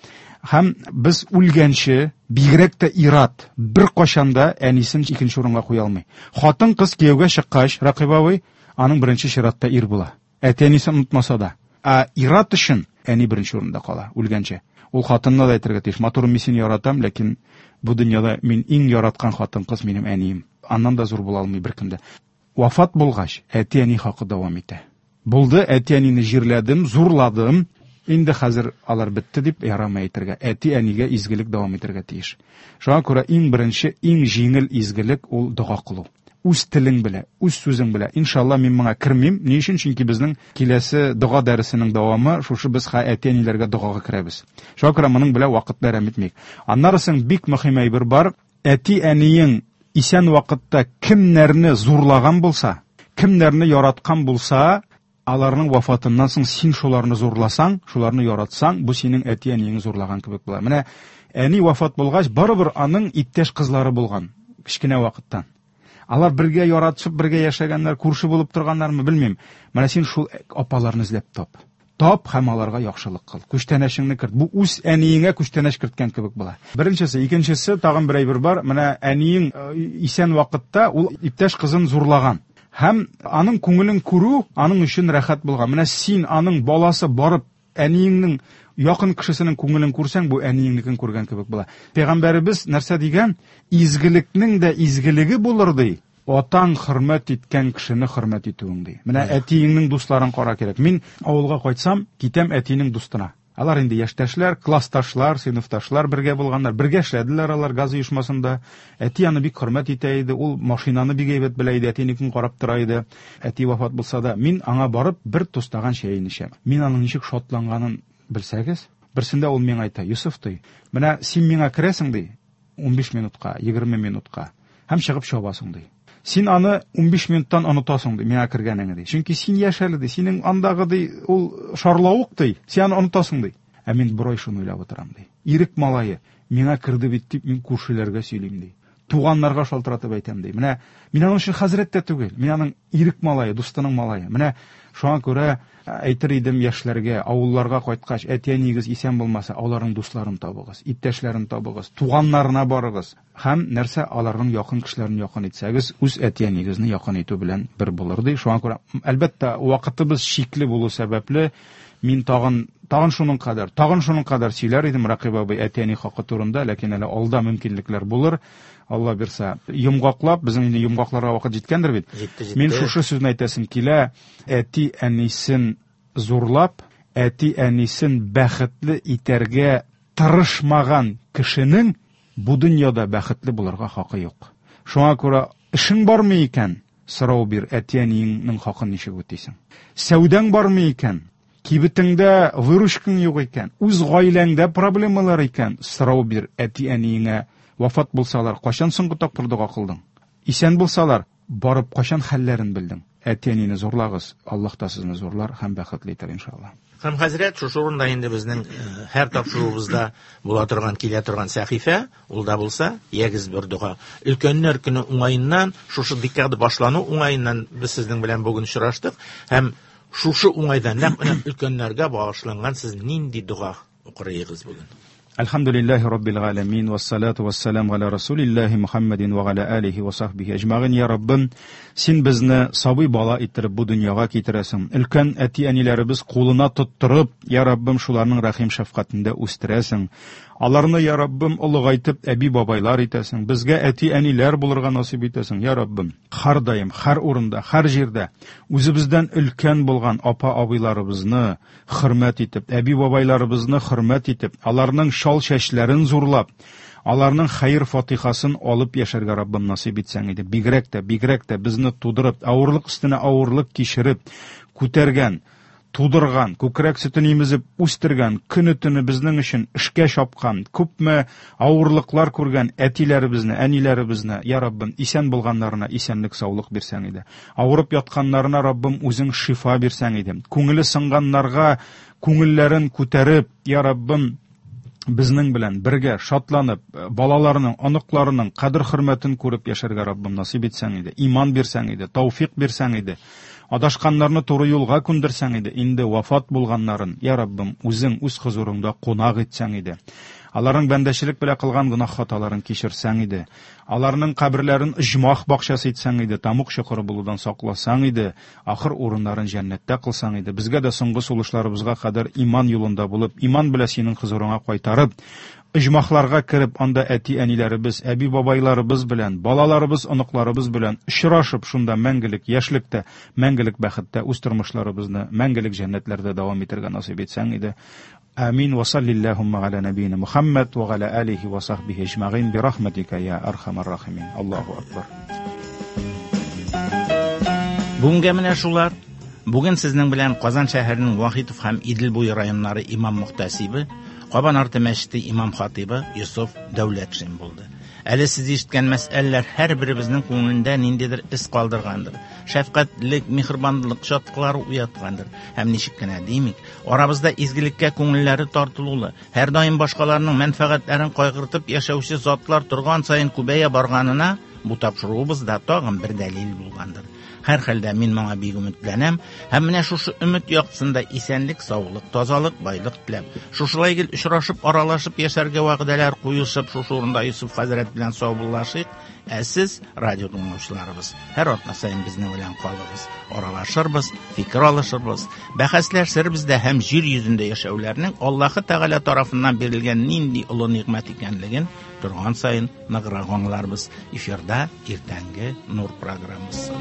Һәм без үлгәнче, бигрәк тә ир-ат бер кайчан да әнисен икенче урынга куя алмый. Хатын-кыз кияүгә чыккач, Ракыйп абый, аның беренче чиратта ир була. Әти-әнисен онытмаса да. Ә ир-ат өчен әни беренче урында кала, үлгәнче. Ул хатынына да әйтергә тиеш: матурым, мин сине яратам, ләкин бу дөньяда мин иң яраткан хатын-кыз минем әнием. Аннан да зур була алмый беркем дә. Вафат булгач, әти-әни хакы дәвам итә. Булды, әти-әнине җирләдем, зурладым. Инде хәзер алар бетте дип ярамый әйтергә. Әти-әнигә изгелек дәвам итәргә тиеш. Шуңа күрә иң беренче, иң җиңел изгелек ул дога кылу. Үз телең белә, үз сүзең белә. Иншалла мин моңа кермим. Ни өчен? Чөнки безнең киләсе дога дәресенең дәвамы шушы, без әти-әниләргә догага керәбез. Шуңа күрә моның белән вакыт әрәм итмик. Аннары соң бик мөһим әйбер бар. Әти-әниең исән вакытта кемнәрне зурлаган булса, кемнәрне яраткан булса, аларның вафатыннан соң син шуларны зурласаң, шуларны яратсаң, бу синең әти-әниеңне зурлаган кебек була. Менә әни вафат булгач, барыбер аның иптәш кызлары булган кечкенә вакыттан. Алар бергә яратышып, бергә яшәгәннәр, күрше булып торганнармы, белмим. Менә син шул апаларны эзләп тап. Тап һәм аларга яхшылык кыл. Күчтәнәшеңне керт. Бу үз әниеңә күчтәнәш керткән кебек була. Беренчесе, икенчесе, тагын бер әйбер бар. Менә әниең исән вакытта ул иптәш кызын зурлаган. Һәм аның күңелен күрү аның өчен рәхәт булган. Менә син аның баласы барып әниеңнең якын кешесенең күңелен күрсәң, бу әниеңнекен күргән кебек була. Пәйгамбәребез нәрсә дигән? Изгелекнең дә изгелеге булыр ди. Атаң хөрмәт иткән кешене хөрмәт итүең ди. Менә әтиеңнең дусларын кара кирәк. Мин авылга кайтсам, китәм әтинең дустына. Алар инде яшьтәшләр, классташлар, сыйныфташлар бергә булганнар, бергә эшләделәр алар газ оешмасында. Әти аны бик хөрмәт итә иде, ул машинаны бик әйбәт белә иде, әтинекен карап тора иде. Әти вафат булса да, мин аңа барып бер тустаган чәен эчәм. Мин аның ничек шатланганын белсәгез, берсендә ул миңа әйтә: "Юсуф, ди, менә син миңа керәсең, ди, унбиш минутка, егерме минутка һәм чыгып чабасың, ди. Син аны унбиш минуттан онытасың, ди, миңа кергәнеңне, ди. Чөнки син яшь әле, ди, синең андагы, ди, ул шарлавык, ди, син аны онытасың, ди. Ә мин бер ай шуны уйлап утырам, ди. Ирек малае миңа керде бит дип мин күршеләргә сөйлим, ди. Туганнарга шалтыратып әйтәм, ди. Менә мин аның өчен хәзрәт тә түгел, мин аның ирек малае, дустының малае. Менә шуңа күрә әйтер идем яшьләргә, авылларга кайткач, әти-әниегез исән булмаса, аларның дусларын табыгыз, иптәшләрен табыгыз, туганнарына барыгыз. Һәм нәрсә, аларның якын кешеләрен якын итсәгез, үз әти-әниегезне якын итү белән бер булыр, ди. Шуңа күрә, әлбәттә, вакытыбыз чикле булу сәбәпле, мин тагын, тагын шуның кадәр, тагын шуның кадәр сөйләр идем Рәкыйп абый әти-әни хакы турында, ләкин әле алда мөмкинлекләр булыр. Алла бирсә, йомгаклап, безнең инде йомгакларга вакыт җиткәндер бит.
Җитте, җитте.
Мин шушы сүзне әйтәсем килә: әти-әнисен зурлап, әти-әнисен бәхетле итәргә тырышмаган кешенең бу дөньяда бәхетле булырга хакы юк. Шуңа күрә эшең бармы икән, сорау бир, әти-әниеңнең хакын ничек үтисең? Сәүдәң бармы икән, кибетеңдә выручкаң юк икән, үз гаиләңдә проблемалар икән, сорау бир әти-әниеңә. Вафат булсалар, кайчан соңгы тапкыр дога кылдың? Исән булсалар, барып кайчан хәлләрен белдең? Әти-әнине зурлагыз, Аллаһ та сезне зурлар һәм бәхетле итәр иншалла.
Һәм хәзрәт, шушы урында инде безнең, э, һәр тапшыруыбызда була торган, килә торган сәхифә, ул да булса, ягез бер дога. Өлкәннәр көне уңаеннан, шушы декада башлану уңаеннан без сезнең белән бүген очраштык һәм шушы уңайдан нәкъ менә өлкәннәргә багышланган сез нинди дога укырыгыз бүген?
Әлхәмдүлилләһи раббил галәмин, вассалату вассаламу аля расулиллаһи Мухаммадин ва аля алихи ва сахбихи әҗмәгыйн. Я Раббым, син безне сабый бала иттереп бу дөньяга китерәсең. Өлкән әти-әниләребез кулына тоттырып, я Раббым, шуларның рәхим шәфкатендә үстерәсең. Аларны, я Раббым, олыгайтып әби-бабайлар итәсең. Безгә әти-әниләр булырга насыйп итәсең, я Раббым. Һәр даим, һәр урында, һәр җирдә үзебездән өлкән булган апа-абыйларыбызны хөрмәт итеп, әби-бабайларыбызны хөрмәт итеп, аларның шал чәчләрен зурлап, аларның хәер-фатихасын алып яшәргә Раббым насыйп итсәң иде. Бигрәк тә, бигрәк тә безне тудырып, авырлык өстенә авырлык кичереп, күтәргән, тудырган, күкрәк сөтен имезеп үстергән, көне-төне безнең өчен эшкә чапкан, күпме авырлыклар күргән әтиләребезне, әниләребезне, я Раббым, исән булганнарына исәнлек, саулык бирсәң иде. Авырып ятканнарына, Раббым, үзең шифа бирсәң иде. Күңеле сынганнарга күңелләрен күтәреп, я Раббым, безнең белән бергә шатланып, балаларының, оныкларының кадер-хөрмәтен күреп яшәргә Раббым насыйп итсәң иде. Иман бирсәң иде, тәүфик бирсәң иде. Адашканнарны туры юлга күндерсәң иде, инде вафат булганнарын, я Раббым, үзең үз хозурыңда кунак итсәң иде. Аларның бәндәчелек белән кылган гөнаһ хаталарын кичерсәң иде. Аларның каберләрен оҗмах бакчасы итсәң иде, тамук чокыры булудан сакласаң иде, ахыр урыннарын җәннәттә кылсаң иде. Безгә дә соңгы сулышларыбызга кадәр иман юлында булып, иман белән синең хозурыңа кайтарып, оҗмахларга кереп, анда әти-әниләребез, әби-бабайларыбыз белән, балаларыбыз, оныкларыбыз белән очрашып, шунда мәңгелек яшьлектә, мәңгелек бәхеттә үз тормышларыбызны мәңгелек җәннәтләрдә дәвам итәргә насыйп итсәң иде. Амин. Ва саллиллахумма аля набийна Мухаммад ва аля алихи ва сахбихи аҗмаин би рахматика я архамар рахимин. Аллаһу акбар.
Бүгенгә менә шулар. Бүген сезнең белән Казан шәһәренең Вахитов һәм Идел буе районнары имам мөхтәсибе, Кабан арты мәчете имам хатибы Йосыф Дәүләтшин булды. Әле сез ишеткән мәсьәләләр һәр беребезнең күңелендә ниндидер эз калдыргандыр. Шәфкатьлек, миһербанлык чаткылары уяткандыр. Һәм ничек кенә димик, арабызда изгелеккә күңелләре тартылулы, һәр даим башкаларның мәнфәгатьләрен кайгыртып яшәүче затлар торган саен күбәя барганына бу тапшыруыбыз да тагын бер дәлил булгандыр. Һәр хәлдә мин моңа бик өметләнәм һәм менә шушы өмет яктысында исәнлек, саулык, тазалык, байлык теләп, шушылай гел очрашып, аралашып яшәргә вәгъдәләр куешып, шушы урында Йосыф хәзрәт белән саубуллашыйк. Ә сез, радио тыңлаучыларыбыз, һәр атна саен безнең белән калыгыз, аралашырбыз, фикер алышырбыз, бәхәсләшербез дә һәм җир йөзендә яшәүләрнең Аллаһы Тәгалә тарафыннан бирелгән нинди олы нигъмәт икәнлеген торган саен ныграк аңларбыз. Эфирда иртәнге Нур программасы.